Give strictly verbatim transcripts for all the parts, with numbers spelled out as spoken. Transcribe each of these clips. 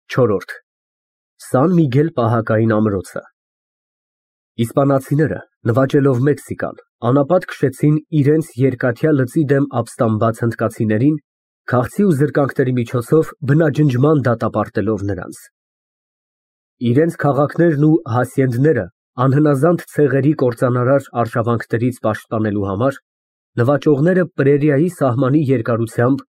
չորրորդ Սան Միգել պահակային ամրոցը Իսպանացիները, նվաճելով Մեքսիկան, անապատ քշեցին իրենց երկաթյա լծի դեմ ապստամբած հնդկացիներին, քաղցի ու զրկանքների միջոցով բնաջնջման դատապարտելով նրանց։ Իրենց քաղաքներն ու հասյենդները անհնազանդ ցեղերի կործանարար արշավանքներից պաշտպանելու համար նվաճողները Պրերիայի սահմանի երկարությամբ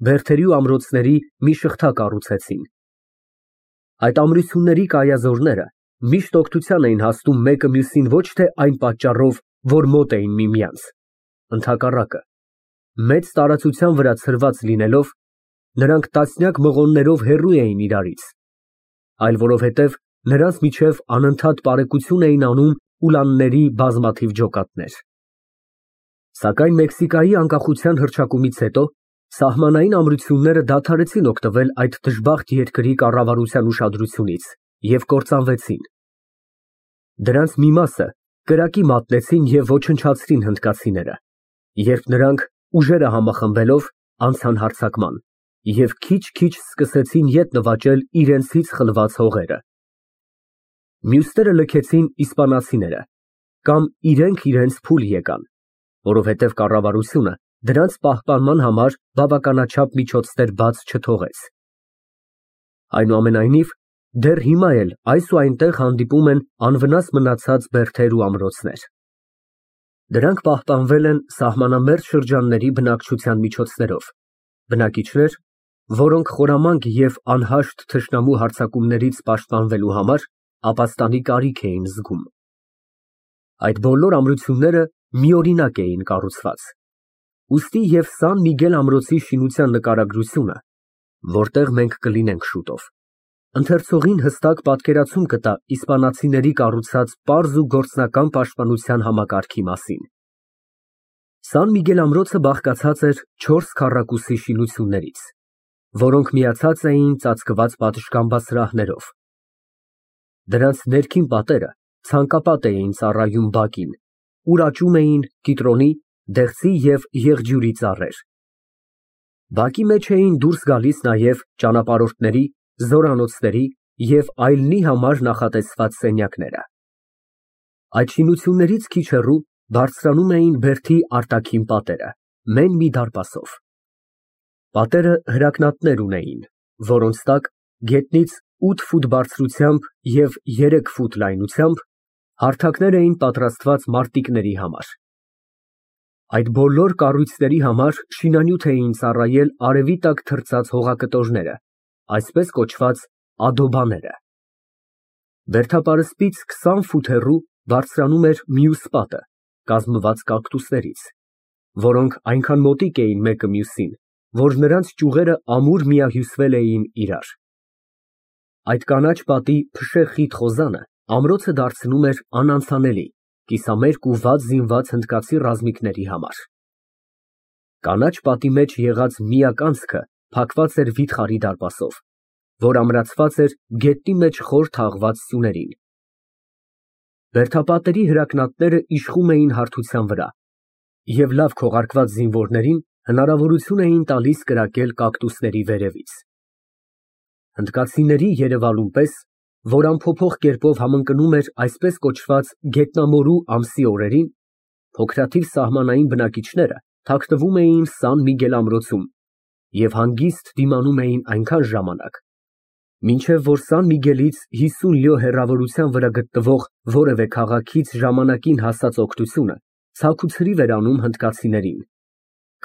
բերդերի ու ամրոցների մի շղթա կառուցեցին։ Այդ ամրությունների կայազորները միշտ օգնության էին հասնում մեկը մյուսին ոչ թե այն պատճառով, որ մոտ էին միմյանց, ընդհակառակը, մեծ տարածության վրա ցրված լինելով, նրանք տասնյակ մղոններով հեռու էին իրարից, այլ որովհետև նրանց միջև անընդհատ պարեկություն էին անում ուլանների բազմաթիվ ջոկատներ։ Սակայն Մեքսիկայի անկախության հռչակումից հետո սահմանային ամրությունները դադարեցին օգտվել այդ դժբախտ երկրի կառավարության ուշադրությունից և կործանվեցին։ Դրանց մի մասը կրակի մատնեցին և ոչնչացրին հնդկացիները, երբ նրանք ուժերը համախմբելով անցան հարձակման և քիչ-քիչ սկսեցին ետ նվաճել իրենցից խլված հողերը։ Մյուսները լքեցին իսպանացիները կամ իրենք իրենց փուլ եկան, որովհետև կառավարությունը դրանց պահպանման համար բավականաչափ միջոցներ բաց չթողեց։ Այնուամենայնիվ, դեռ հիմա էլ այս ու այնտեղ հանդիպում են անվնաս մնացած բերդեր ու ամրոցներ։ Դրանք պահպանվել են սահմանամերձ շրջանների բնակչության միջոցներով, բնակիչներ, որոնք խորամանկ և անհաշտ թշնամու հարձակումներից պաշտպանվելու համար ապաստանի կարիք էին զգում։ Այդ բոլոր ամրությունները միօրինակ էին կառուցված, ուստի և Սան Միգել ամրոցի շինության նկարագրությունը, որտեղ մենք կլինենք շուտով, ընթերցողին հստակ պատկերացում կտա իսպանացիների կառուցած պարզ ու գործնական պաշտպանության համակարգի մասին։ Սան Միգել ամրոցը բաղկացած էր չորս քառակուսի շինություններից, որոնք միացած էին ծածկված պատշգամբասրահներով։ Դրանց ներքին պատերը ցանկապատ էին ծառայում բակին, ուր աճում էին կիտրոնի, դեղցի և եղջյուրի ծառեր։ Բակի մեջ էին դուրս գալիս նաև ճանապարհորդների, զորանոցների և այլնի համար նախատեսված սենյակները։ Այդ շինություններից քիչ հեռու բարձրանում էին բերդի արտաքին պատերը, մեն մի դարպասով։ Պատերը հրակնատներ ունեին, որոնց տակ գետնից ութ ֆուտ բարձրությամբ և երեք ֆուտ լայնությամբ հարթակներ էին պատրաստված մարտիկների համար։ Այդ բոլոր կառույցների համար շինանյութ էին ծառայել արևի տակ թրծած հողակտորները, այսպես կոչված ադոբաները։ Բերդապարսպից քսան ֆուտ հեռու բարձրանում էր մյուս պատը, կազմված կակտուսներից, որոնք այնքան մոտիկ էին մեկը մյուսին, որ նրանց ճյուղերը ամուր միահյուսվել էին իրար։ Այդ կանաչ պատի փշե խիտ խոզանը ամրոցը դարձնում էր անանցանելի կիսամերկ ու վատ զինված հնդկացի ռազմիկների համար։ Կանաչ պատի մեջ եղած միակ անցքը փակված էր վիթխարի դարպասով, որ ամրացված էր գետնի մեջ խոր թաղված սյուներին։ Բերդապատերի հրակնատները իշխում էին հարթության վրա և լավ քողարկված զինվորներին հնարավորություն էին տալիս կրակել կակտուսների վերևից։ Հնդկացիների երևալուն պես, որ անփոփոխ կերպով համընկնում էր այսպես կոչված գետնամորու ամսի օրերին, փոքրաթիվ սահմանային բնակիչները թաքնվում էին Սան Միգել ամրոցում և հանգիստ դիմանում էին այնքան ժամանակ, մինչև որ Սան Միգելից հիսուն լյո հեռավորության վրա գտնվող որևէ քաղաքից ժամանակին հասած օգնությունը ցաքուցրիվ էր անում հնդկացիներին,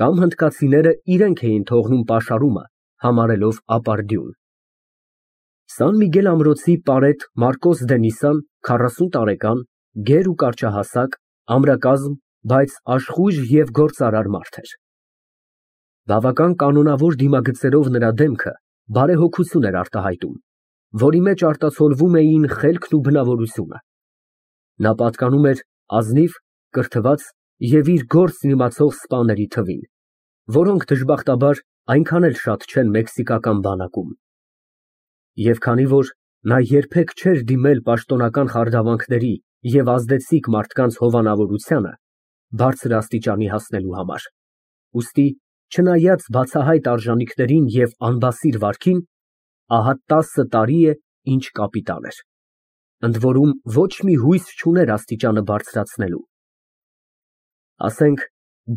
կամ հնդկացիները իրենք էին թողնում պաշարումը, համարելով ապարդյուն։ Սան Միգել ամրոցի պարետ Մարկոս դե Նիսան քառասուն տարեկան, գեր ու կարճահասակ, ամրակազմ, բայց աշխույժ և գործարար մարդ էր։ Բավական կանոնավոր դիմագծերով նրա դեմքը բարեհոգություն էր արտահայտում, որի մեջ արտացոլվում էին խելքն ու բնավորությունը։ Նա պատկանում էր ազնիվ, կրթված և իր գործն իմացող սպաների թվին, որոնք դժբախտաբար այնքան էլ շատ չեն մեքսիկական բանակում։ Եվ քանի որ նա երբեք չէր դիմել պաշտոնական խարդավանքների և ազդեցիկ մարդկանց հովանավորությանը բարձր աստիճանի հասնելու համար, ուստի չնայած բացահայտ արժանիքներին և անբասիր վարքին, ահա տասը տարի է, ինչ կապիտան էր, ընդ որում ոչ մի հույս չուներ աստիճանը բարձրացնելու։ Ասենք,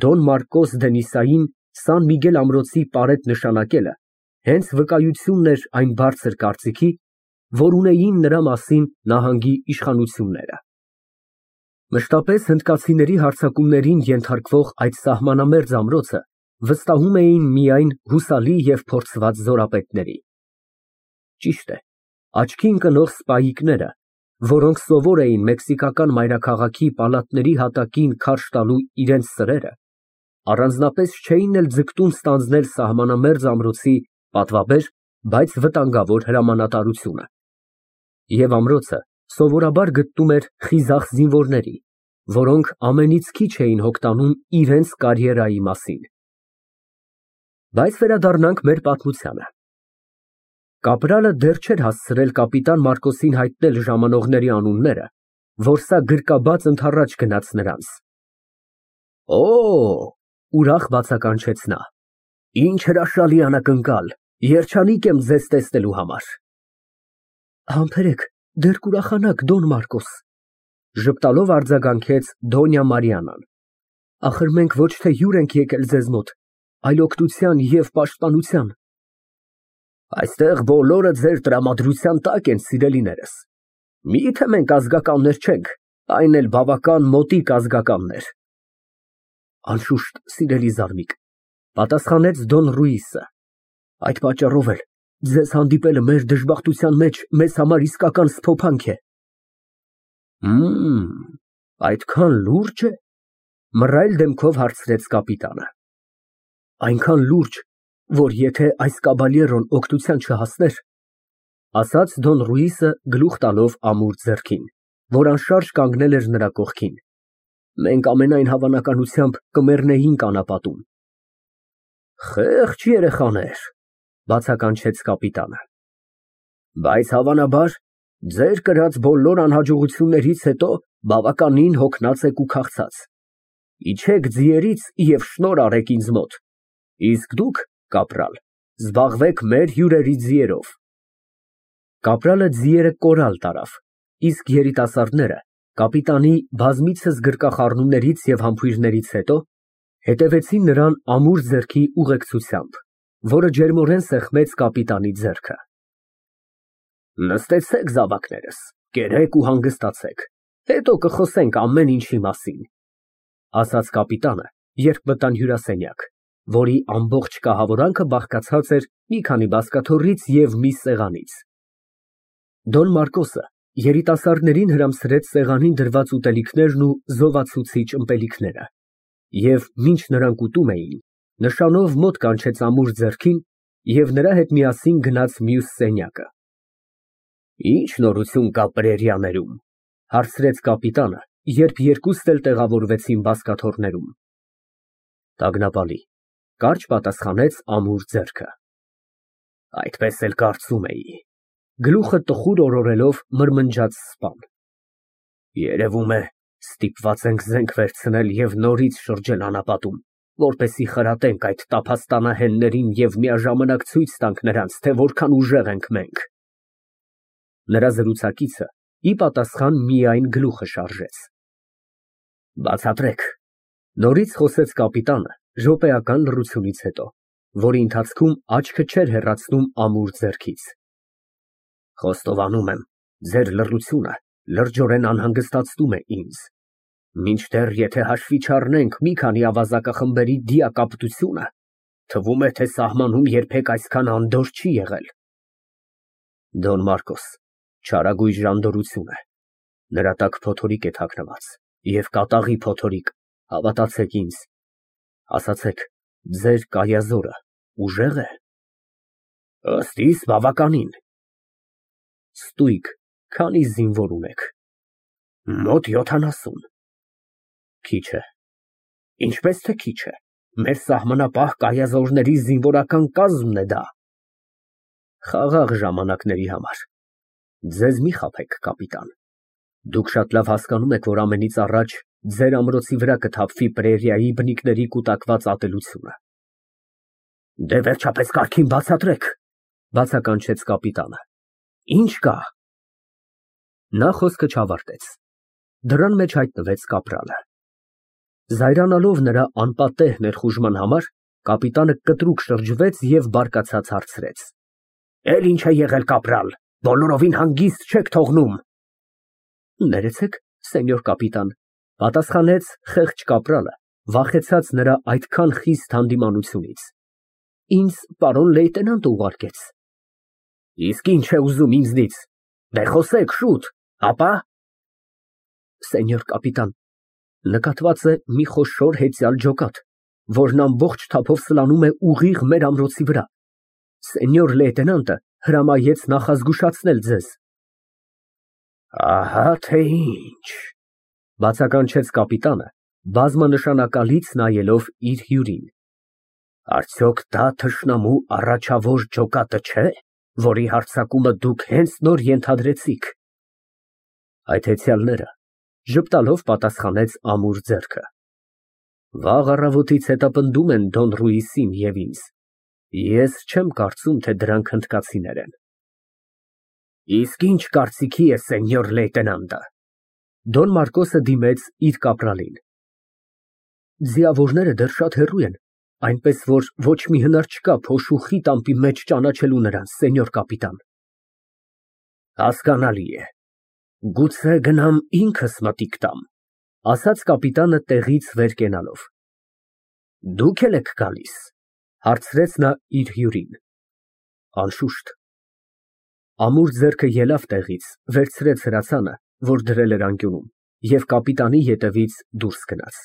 Դոն Մարկոս դե Նիսային Սան Միգել ամրոցի պարետ նշանակելը հենց վկայությունն էր այն բարձր կարծիքի, որ ունեին նրա մասին նահանգի իշխանությունները։ Մշտապես հնդկացիների հարձակումներին ենթարկվող այդ սահմանամերձ ամրոցը վստահում էին միայն հուսալի և փորձված զորապետների։ Ճիշտ է, աչքի ընկնող սպայիկները, որոնք սովոր էին մեքսիկական մայրաքաղաքի պալատների հատակին քարշ տալու իրենց սրերը, առանձնապես չէին էլ ձգտում ստանձնել սահմանամերձ ամրոցի պատվաբեր, բայց վտանգավոր հրամանատարությունը։ Եվ ամրոցը սովորաբար գտնում էր խիզախ զինվորների, որոնք ամենից քիչ էին հոգտանում իրենց կարիերայի մասին։ Բայց վերադառնանք մեր պատմությանը։ Կապրալը դեռ չէր հասցրել կապիտան Մարկոսին հայտնել ժամանողների անունները, որ սա գրկաբաց ընդառաջ գնաց նրանց։ Օ, ուրախ բացականչեց նա, ինչ հրաշալի անակնկալ, երջանիկ եմ ձեզ տեսնելու համար։ Համբերեք, դեռ կուրախանաք, Դոն Մարկոս, ժպտալով արձագանքեց Դոնյա Մարիանան։ Ախր մենք ոչ թե հյուր ենք եկել ձեզ մոտ, այլ օգնության և պաշտպանության։ Այստեղ բոլորը ձեր տրամադրության տակ են, սիրելիներս։ Մի՞թե մենք ազգականներ չենք, այն էլ բավական մոտիկ ազգականներ։ Անշուշտ, սիրելի զարմիկ, պատասխանեց Դոն Ռուիսը, այդ պատճառով էլ ձեզ հանդիպելը մեր դժբախտության մեջ մեզ համար իսկական սփոփանք է։ Մմ, այդքան լուրջ է, մռայլ դեմքով հարցրեց կապիտանը։ Այնքան լուրջ, որ եթե այս կաբալյերոն օգնության չհասներ, ասաց Դոն Ռուիսը գլուխ տալով ամուր ձեռքին, որ անշարժ կանգնել էր նրա կողքին, մենք ամենայն հավանականությամբ կմեռնեինք անապատում։ Խեղճ երեխաներ, բացականչեց կապիտանը։ Բայց հավանաբար ձեր կրած բոլոր անհաջողություններից հետո բավականին հոգնած եք ու քաղցած։ Իջեք ձիերից և շնորհ արեք ինձ մոտ, իսկ դուք, կապրալ, զբաղվեք մեր հյուրերի ձիերով։ Կապրալը ձիերը կորալ տարավ, իսկ երիտասարդները կապիտանի բազմիցս գրկախառնումներից և համբույրներից հետո հետևեցին նրան ամուր ձեռքի ուղեկցությամբ, որը ջերմորեն սեղմեց կապիտանի ձեռքը։ Նստեցեք, զավակներս, կերեք ու հանգստացեք, հետո կխոսենք ամեն ինչի մասին, ասաց կապիտանը, երբ մտան հյուրասենյակ, որի ամբողջ կահավորանքը բաղկացած էր մի քանի բազկաթոռից և մի սեղանից։ Դոն Մարկոսը երիտասարդներին հրամսրեց սեղանին դրված ուտելիքներն ու զովացուցիչ ըմպելիքները, և մինչ նրանք ուտում էին, նշանով մոտ կանչեց ամուր ձեռքին և նրա հետ միասին գնաց մյուս սենյակը։ Ի՞նչ նորություն կա պրերիաներում, հարցրեց կապիտանը, երբ երկուստ էլ տեղավորվեցին բազկաթոռներում։ Տագնապալի, կարճ պատասխանեց ամուր ձեռքը։ Այդպես էլ կարծում էի, գլուխը տխուր օրորելով մրմնջաց սպան։ Երևում է, ստիպված ենք զենք վերցնել և նորից շրջել անապատում, որպեսզի խրատենք այդ տափաստանահեններին և միաժամանակ ցույց տանք նրանց, թե որքան ուժեղ ենք մենք։ Նրա զրուցակիցը ի պատասխան միայն գլուխը շարժեց։ Բացատրեք, նորից խոսեց կապիտանը րոպեական լռությունից հետո, որի ընթացքում աչքը չէր հեռացնում ամուր ձեռքից։ Խոստովանում եմ, ձեր լռությունը լրջորեն անհանգստացնում է ինձ, մինչդեռ եթե հաշվի չառնենք մի քանի ավազակախմբերի դիակապտությունը, թվում է, թե սահմանում երբեք այսքան անդորր չի եղել։ Դոն Մարկոս, չարագույժ անդորրություն է, նրա տակ փոթորիկ է թաքնված, և կատաղի փոթորիկ, հավատացեք ինձ, ասացեք, ձեր կայազորը ուժե՞ղ է։ Ըստ իս բավականին։ Ստույգ, քանի զինվոր ունեք։ Մոտ յոթանասուն։ Քիչ է։ Ինչպես թե քիչ է, մեր սահմանապահ կայազորների զինվորական կազմն է դա։ Խաղաղ ժամանակների համար։ Ձեզ մի խաբեք, կապիտան։ Դուք շատ լավ հասկանում եք, որ ամենից առաջ ձեր ամրոցի վրա կթափվի պրերիայի բնիկների կուտակված ատելությունը։ Դե վերջապես կարգին բացատրեք, Բացականչեց կապիտանը։ Ինչ կա։ Նա խոսքը չավարտեց։ Դռան մեջ հայտնվեց կապրալը։ Զայրանալով նրա անպատեհ ներխուժման համար, կապիտանը կտրուկ շրջվեց և բարկացած հարցրեց. Էլ ինչ է եղել, կապրալ, բոլորովին հանգիստ չեք թողնում։ Ներեցեք, սենյոր կապիտան, պատասխանեց խեղճ կապրալը, վախեցած նրա այդքան խիստ հանդիմանությունից։ Ինձ պարոն լեյտենանտը ուղարկեց։ Իսկ ինչ է ուզում ինձնից, դե խոսեք շուտ, ապա։ Սենյոր կապիտան, նկատված է մի խոշոր հեծյալ ջոկատ, որն ամբողջ թափով սլանում է ուղիղ մեր ամրոցի վրա։ Սենյոր լեյտենանտը հրամայեց նախազգուշացնել ձեզ։ Ահա թե ինչ, բացականչեց կապիտանը, բազմանշանակալից նայելով իր հյուրին։ Արդյոք դա թշնամու առաջավոր ջոկատը չէ, որի հարձակումը դուք հենց նոր ենթադրեցիք։ Այդ հեծյալները ժպտալով պատասխանեց ամուր ձեռքը։ Վաղ առավոտից հետապնդում են Դոն Ռուիսին և ինձ։ Ես չեմ կարծում, թե դրանք հնդկացիներ են։ Իսկ ինչ կարծիքի է սենյոր լեյտենանտը։ Դոն Մարկոսը դիմեց իր կապրալին։ Ձիավորները դեռ շատ հեռու են, այնպես որ ոչ մի հնար չկա փոշու խիտ ամպի մեջ ճանաչելու նրանց, սենյոր կապիտան։ Հասկանալի է, գուցե գնամ ինքս մտիկ տամ, ասաց կապիտանը տեղից վեր կենալով։ Դուք էլ եք գալիս, հարցրեց նա իր հյուրին։ Անշուշտ։ Ամուր ձեռքը ելավ տեղից, վերցրեց հրացանը, որ դրել էր անկյունում, և կապիտանի ետևից դուրս գնաց։